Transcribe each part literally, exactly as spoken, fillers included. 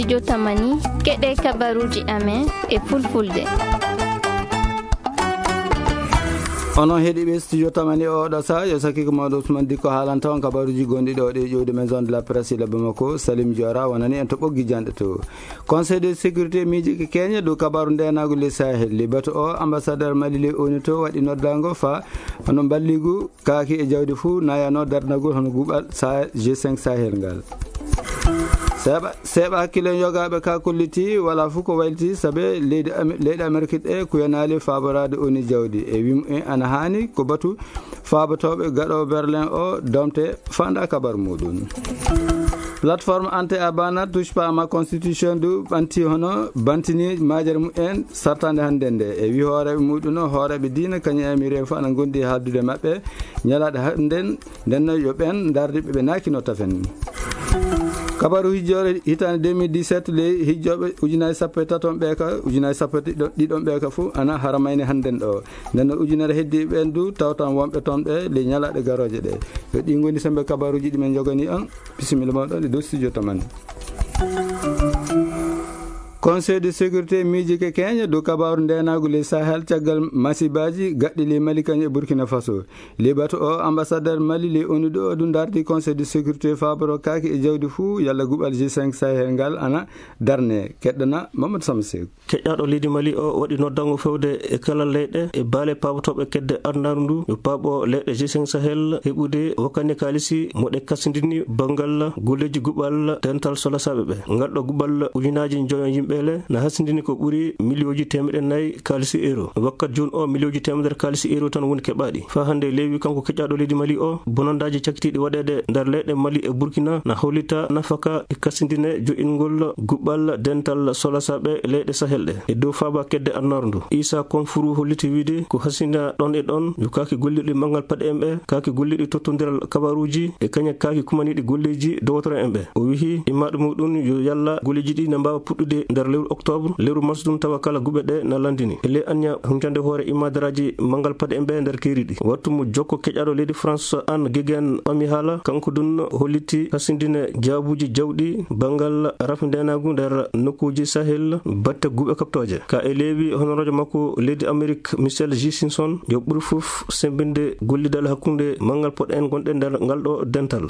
Jotamani, keɗe kabaruuji amen e fulfulde. Onon heɗiiɓe studio Tamani, oo ɗoo sahaa yo sakiiko mawɗo Ousmane Dikko haalanta on kabaruuji gonɗi ɗoo ɗe ƴowdi maison de la presse ila Bamako. Salim Diora wonani en to ɓoggi janɗe to. Conseil de sécurité miijike Kenya dow kabaru ndeenaagu ley Sahel. Ley batu o, ambassadeur Mali ley ONU to waɗi noddaango faa hono mballigu kaaki e jawdi fuu nayano darnagol hono guɓal Sa-, G cinq Sahel ngal. Seeɓa, seeɓa hakkille yogaaɓe ka kolliti wala fuu ko wayliti sabe leydi Am-, leyɗe Amerik ɗe kuyanaali faaboraade ONU jawdi. E wimu en ana haani ko batu faabotooɓe gaɗo Berlin o domte faanda kabar muɗum. Plateforme Ante Abana touche pas à ma constitution du ɓanti hono bantini majere mumen sartande hannde nde. E wi hooreeɓe muɗum o, hooreeɓe diina kañum e amireeɓe fof ana ngondi e haaldude maɓɓe ñalaaɗe hannden, nden noon yo ɓeen ndardi ɓe ɓe naakino tafen. Kabaru hijjoore hitaande deux mille dix-sept ley hijjooɓe ujunaaji sappo e taton ɓe ka ujunaaji sappo e ɗiɗon ɓe ka fof ana haramayni hannden ɗo. Nden noon ujunere heddi ɓeen du tawtan wonɓe toon ɓe ley ñalaaɗe garooje ɗe. Yo ɗi ngoni sembe kabaruuji ɗi men njogani on. Bisimilla mawɗo e dow studio Tamani. Conseil de sécurité miijike Kenya dow kabaru ndeenaagu ley Sahel caggal masibaaji gaɗɗi ley Mali kañum e Burkina Faso. Ley batu o, ambassadeur Mali ley ONU ɗo ɗum dardi Conseil de sécurité faaboro kaaki e jawdi fuu yalla guɓal G cinq Sahel ngal ana darne. Keɗɗana Mamadou Sama Seeku. Keƴaaɗo leydi Mali o waɗi noddango fewde e kala leyɗe e baale paabotooɓe kedde adunaaru ndu, yo paabo leyɗe G cinq Sahel heɓude wakkane kaalisi mo ɗe kasindini banngal golleeji guɓal dental solasaaɓe ɓe. Ngal ɗo guɓal ujunaaji njoyo yimɓe le na hasindini ko ɓuri miliyooji teemeɗe nayi kaalisi euro. Wakkat jooni o, miliyooji teemedere kaalisi euro tan woni keɓaaɗi. Faa hannde leewi kanko keƴaaɗo leydi Mali o, bonandaaji cakkitiiɗi waɗeede nder leyɗe Mali e Burkina na hollita nafaka e kasindine jo'ingol guɓal dental solasaaɓe leyɗe Sahel ɗe. E dow faaba kedde annaru ndu, Issa Konfuru holliti wiide ko hasina ɗon e ɗon yo kaaki gollirɗi manngal paɗe en ɓe, kaaki gollirɗi tottondiral kabaruuji e kañum kaaki kumaniiɗi golleeji dowotoro en ɓe. O wihi immaaɗo muɗum yo yalla golleeji ɗi na mbaawa puɗɗude nder lewru octobre, lewru mars ɗum tawa kala guɓe ɗe na lanndini. E ley anniya huncande hoore immaadaraaji manngal paɗe en ɓe nder keeri ɗi. Wattu mo jokko keƴaaɗo leydi France Anne Guéguen ɓami haala, kanko ɗum holliti hasindine jaabuuji jawɗi banngal rafi ndeenaagu nder nokkuuji Sahel batte guɓe kaɓtooje. Ka e leewi honoroojo makko leydi Amerik Michel J Simpson yo ɓuri fof semmbinde gollidal hakkunde manngal poɗe en gonɗe nder ngal ɗo dental.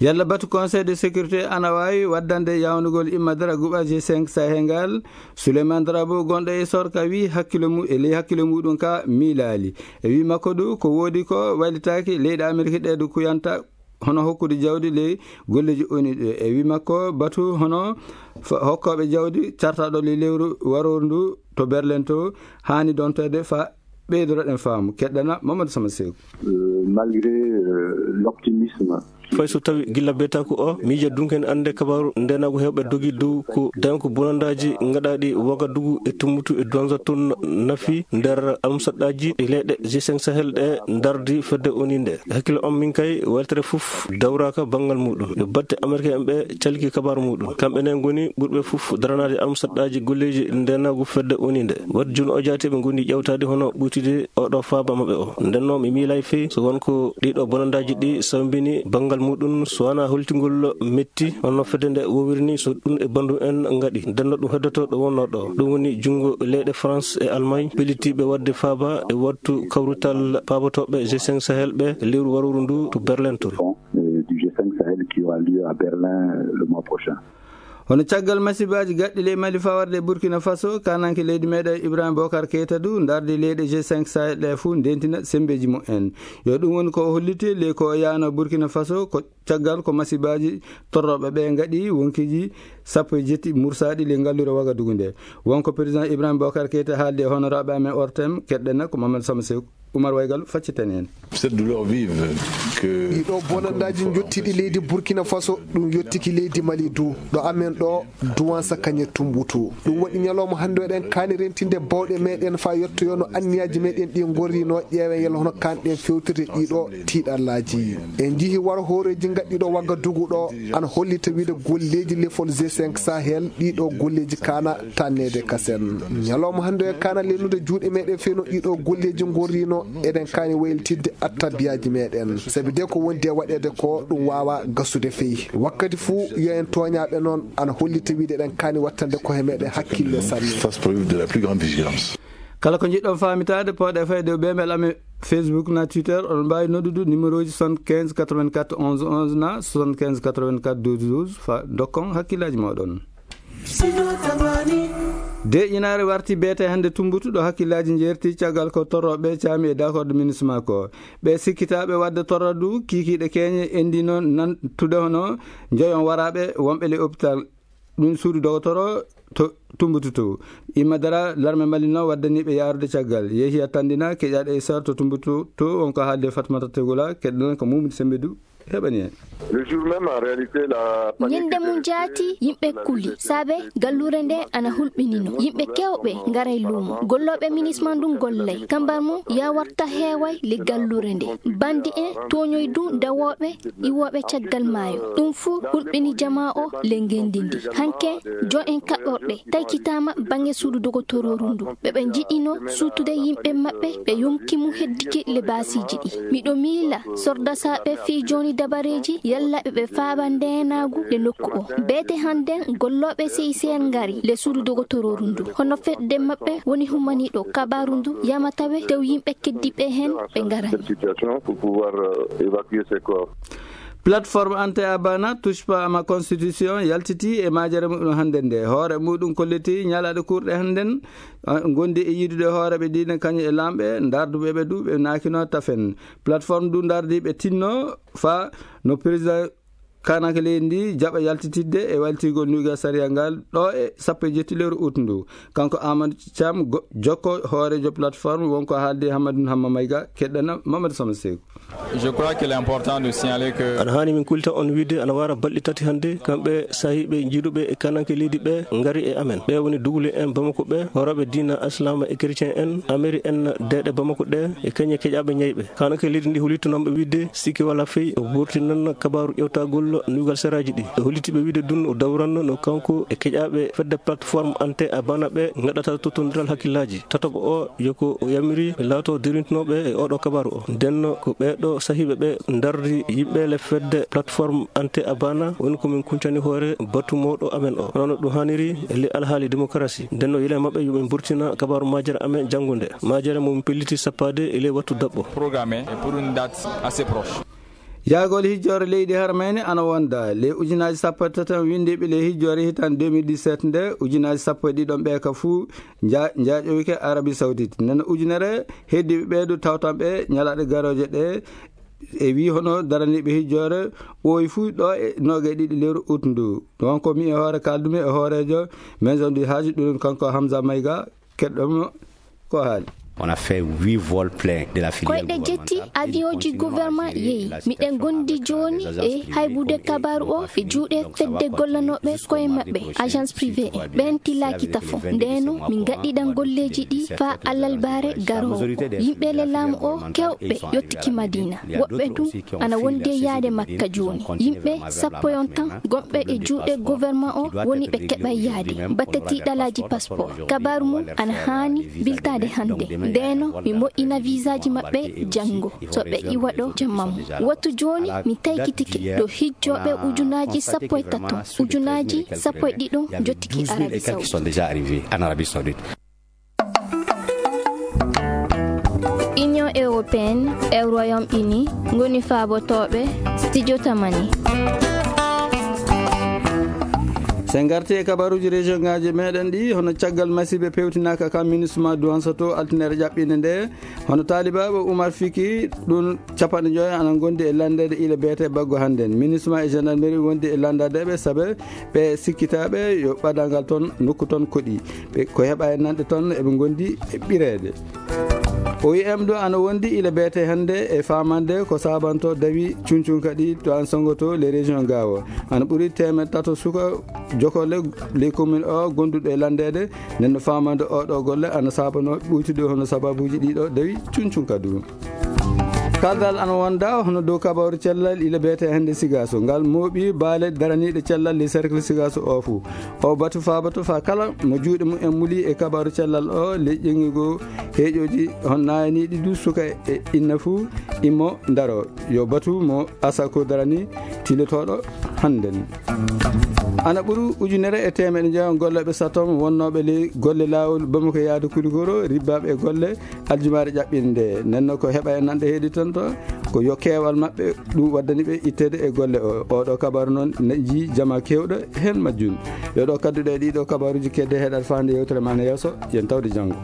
Yalla batu Conseil de sécurité ana waawi waddande yawnugol imma dara guɓal G cinq Sahel ngal? Souleymane Drabo gonɗo e Sorka wi hakkilo mu-, e ley hakkilo muɗum ka miilaali. E wi makko du ko woodi ko waylitaaki leyɗe Amerik ɗe du kuyanta hono hokkude jawdi ley golleeji ONU ɗe. E wi makko batu hono fa-, hokkooɓe jawdi cartaɗo ley lewru warooru ndu to Berlin to haani donteede fa ɓeydoroɗen faamu. Keɗɗana Mamadou Sama Seeku. Euh, malgré, euh, l'optimisme. Fay so tawi gilla beetaaku o, miija dunken annde kabaru ndenagu hewɓe dogi dow ko dañko bonandaaji ngaɗaaɗi Wagadugu e Tumbutu e Duanza tun nafi nder almusaɗɗaaji e leyɗe G cinq Sahel ɗe ndardi fedde ONU nde. Hakkille on min kay weltere fof dawraaka banngal muɗum. Yo batte Amerik en ɓe calki kabaru muɗum. Kamɓe ne ngoni ɓurɓe fof daranaade almusaɗɗaaji golleeji ndenagu fedde ONU nde. Wadde jooni o jaati ɓe ngoni ƴewtaade hono ɓuytude oɗo faaba maɓɓe o. Nden noon mi miilay fey so won ko ɗiɗo bonandaaji ɗi sawmbini banngal muɗum so wona holtingol metti honno fedde nde wowiri ni so ɗum e banndum en ngaɗi. Nden no ɗum heddoto ɗo wonno ɗo. Ɗum woni junngo leyɗe France e Allemagne pellitiiɓe waɗde faaba e wattu kawrital paabotooɓe G cinq Sahel ɓe lewru warooru ndu to Berlin to. Euh, du G cinq Sahel qui aura lieu à Berlin, euh, le mois prochain. Hono caggal masibaaji gaɗɗi ley Mali fawarde e Burkina Faso, kananke leydi meɗen Ibrahima Bokar Keita du ndardi leyɗe G cinq Sahel ɗe fuu ndentina sembeeji mumen. Yo ɗum woni ko o holliti ley ko o yahno Burkina Faso ko caggal ko masibaaji torrooɓe ɓe ngaɗi wonkiiji sappo e jetti mursaaɗi ley ngalluure Wagadugu nde. Wonko président Ibrahima Bokar Keita haaldi e honoraaɓe amen O R T M, keɗɗen ko Mamadou Sama Seeku. Umar Waygal, facciten heen. Cette douleur vive que ɗiɗo bonandaaji njottiɗi leydi Burkina Faso, ɗum yottiki leydi Mali du. Ɗo amen ɗo, Duwansa kañe Tumbutu. Ɗum waɗi ñalawma hannde eɗen kaani rentinde bawɗe meɗen faa yettoyoo no anniyaaji meɗen ɗi ngorrino, ƴeewen yalla hono kaanɗen fewtirde ɗiɗo tiiɗallaaji. En njihi waro hooreeji ngaɗɗiɗo Wagadugu ɗo, ana hollita wiide golleeji lefol G cinq Sahel, ɗiɗo golleeji kaana tanneede kasen. Ñalawma hannde o e kaana lennude juuɗe meɗen feno ɗiɗo golleeji ngorrino, Eɗen kaani waylitidde attabiyaaji meɗen, sabi de ko wondi e waɗeede ko ɗum waawa gasude fey. Wakkati fuu yo en tooñaaɓe noon, ana hollita wiide eɗen kaani wattande koye meɗen hakkille sanne. Fasse preuve de la plus grande vigilance. Kala ko njiɗɗon faamitaade, pooɗe fayde e email amen, Facebook na Twitter, oɗon mbaawi noddude numéro ji soixante-quinze quatre-vingt-quatre onze onze na soixante-quinze quatre-vingt-quatre douze douze, fa dokkon hakkillaaji mooɗon. Deeƴinaare warti beete hannde Tumbatu ɗo hakkillaaji njeerti caggal ko torrooɓe caami e d'accord de ministre makko. Ɓe sikkitaaɓe waɗde torradu kiikiiɗe keeñe endino nantude hono njoyon waraaɓe wonɓe le hôpital ɗum suudu dogotoro to Tumbatu to. Imma dara larme Mali noon waddaniiɓe yaarude caggal. Yehi a tandina keƴaaɗo e sar to Tumbatu to wonko haalde Fatmata Tegula, keɗɗen ko Mumudi Sembedu heɓani en. Le jour même, en réalité, la panique Ñande mum était jaati, yimɓe kuli, saabe galluure nde ana hulɓinino. Yimɓe kewɓe ngaray luumo. Gollooɓe minisma ndun gollay. Kambar mum yawarta heeway le galluure nde. Bandi en tooñoy du dawooɓe iwooɓe caggal maayo. Ɗum fuu hulɓini jamaa o le ngenndi ndi. Hanke jo en kaɓɓorɗe taykitaama baŋnge suudu dogotorooru ndu. Ɓe ɓe njiɗino suutude yimɓe maɓɓe ɓe yonki mum heddike le baasiiji ɗi. Miɗo miila sordasaaɓe fii jooni dabareeji yalla ɓe ɓe faaba ndeenaagu le nokku o. Beete hannden gollooɓe C I C R ngari le suudu dogotorooru ndu. Hono fedde maɓɓe woni humaniiɗo kabaaru ndu yamatawe tew yimɓe keddiiɓe heen ɓe ngarani. Cette situation pour pouvoir, euh, évacuer ces corps. Plateforme Ante Abana, Touche pas à ma constitution, yaltiti e majere muɗum hannde nde. Hoore muɗum kolliti ñalaaɗe kurɗe hannden, ah, ngondi e yiidude hooreeɓe diine kañum e laamɓe, ndarduɓe ɓe du ɓe naakino tafen. Plateforme du ndardi ɓe tinno fa no président kanaka leydi ndi jaɓa yaltitidde e waltigol nuuga sariya ngal ɗo e sappo e jetti lewru ut ndu. Kanko Amadou Thiam, go-, jokko hooreejo plateforme, wonko haaldi Hammadou Hamma Mayga, keɗɗana Mamadou Sama Seeku. Je crois qu'il est important de signaler que Ana haani min kulta on wiide ana wara balɗe tati hannde, kamɓe sahiiɓe jiiduɓe e kananke leydi ɓe ngari e amen. Ɓe woni dugule en Bamako ɓe, horoɓe diina Islama e chrétien en, ameri en deeɗe Bamako ɗe, e keñe keƴaɓe ñayɓe. Kananke leydi ndi holittanooɓe wiide sikki wala fey o wurtinan kabaaru ƴewtagol nuugal seraaji ɗi. O holliti ɓe wiide dun o dawranno no kanko e keƴaɓe fedde plateforme Ante Abana ɓe ngaɗata tottondiral hakkillaaji. Tataɓo o yo ko o yamiri laato derintinooɓe e oɗo kabaaru o. Ndenno ko ɓeeɗo sahiiɓe ɓe ndardi yimɓe le fedde plateforme Ante Abana woni ko min kuncani hoore batu mawɗo amen o. Hono no ɗum haaniri e le alhaali démocratie. Ndenno yila maɓɓe yo min burtina kabaaru majere amen janngude. Majere mo min pelliti sappaade e le wattu daɓɓo. Programmé et pour une date assez proche. Yaagol hijjoore leydi Harmayni ana wonda. Ley ujunaaji sappo e tati on winndiiɓe ley hijjoore hitan deux mille dix-sept nde, ujunaaji sappo e ɗiɗon ɓe ka fuu nja-, njaaƴowike Arabie Saoudite. Nden ujunere heddiiɓe ɓeeɗu tawtan ɓe ñalaaɗe garooje ɗe. E wii hono daraniiɓe hijjoore ɓooyi fuu ɗo e noogaɗe ɗiɗi lewru ut ndu. Ɗon ko mi e hoore kaaldumi e hooreejo Maison du Hajj, ɗum kanko Hamza Mayga, keɗɗomo ko haali. On a fait huit vols pleins de la filière Koyɗe jetti gouvernementale et avion ji continue gouvernement à assurer yehi. La Miɗen situation gondi avec jooni les agences e privées haybude comme kabaaru o Economic e juuɗe donc ça va fedde continuer gollanooɓe jusqu'au koye mardi maɓɓe, prochain, agence si privée tout va en. Bien. Ɓen tilaaki tafo. Ndeno min ngaɗɗiɗan golleeji ɗi faa alarba garoowo. Yimɓe le laamu o kewɓe yottiki Madina. Woɓɓe tun ana wondi e yaade Makka jooni. Yimɓe sappo yon tan gonɓe e juuɗe gouvernement o woni ɓe keɓay yaade. Batte tiiɗalaaji passeport. Kabaaru mum ana haani biltaade hannde. Ndeno mi moƴƴina visaaji maɓɓe janngo. So ɓe iwa ɗo jamma mum. Wattu jooni mi taykitike ɗo hijjooɓe ujunaaji sappo e tato, ujunaaji sappo e ɗiɗo jottiki Arabie Saoudite. Union Européenne e Royaume Uni ngoni faabotooɓe Studio Tamani. Sen ngarti e kabaruuji région ngaaji meɗen ɗi, hono caggal masiiɓe pewtinaaka ka MINUSMA Duwansato altinere ƴaɓɓinde nde, hono taalibaaɓe Umar Fiki ɗum capanɗe joy ana ngondi e landeede ila beete baggo hannden. MINUSMA e gendarmerie wondi e landadeeɓe sabe ɓe sikkitaaɓe yo ɓadal ngal toon nokku toon koɗi. Ɓe ko heɓa e nanɗe toon eɓe ngondi e ɓireede. O E M ɗo ana wondi ila beete hannde e faamande ko saabanto dawi cuncunka ɗi to an songoto les régions gawo. Ana ɓuri teemeɗɗe tato suka jokolle les communes o gonduɗo e landeede. Nden no faamande oɗo golle ana saabano ɓuytude hono sababuuji ɗiɗo dawi cuncunka du. Kaldal ana wonda hono dow kabaru cellal ila beete hannde Sigaso. Ngal mooɓi baale daraniiɗe cellal le cercle Sigaso o fuu. O batu faabato faa kala mo juuɗe mum en muli e kabaru cellal o, leƴƴi goo heeƴooji hon naayaniiɗi du suka e inna fuu immo ndaro. Yo batu mo asako darani tilotooɗo hannden. Ana ɓuru ujunere e teemeɗe njeego gollooɓe satom wonnooɓe ley golle laawol Bamako yaade Kulikoro ribbaaɓe e golle aljumaare ƴaɓɓinde. Nenno ko heɓa e nanɗe heedi tan to, ko yo keewal maɓɓe ɗum waddani ɓe itteede e golle o. Oɗo kabaru noon ne jii jama keewɗo heen majjum. Yo ɗo kadduɗe e ɗiɗo kabaruuji kedde heɗat faande yewtere ma ne yeeso, yen tawde janngo.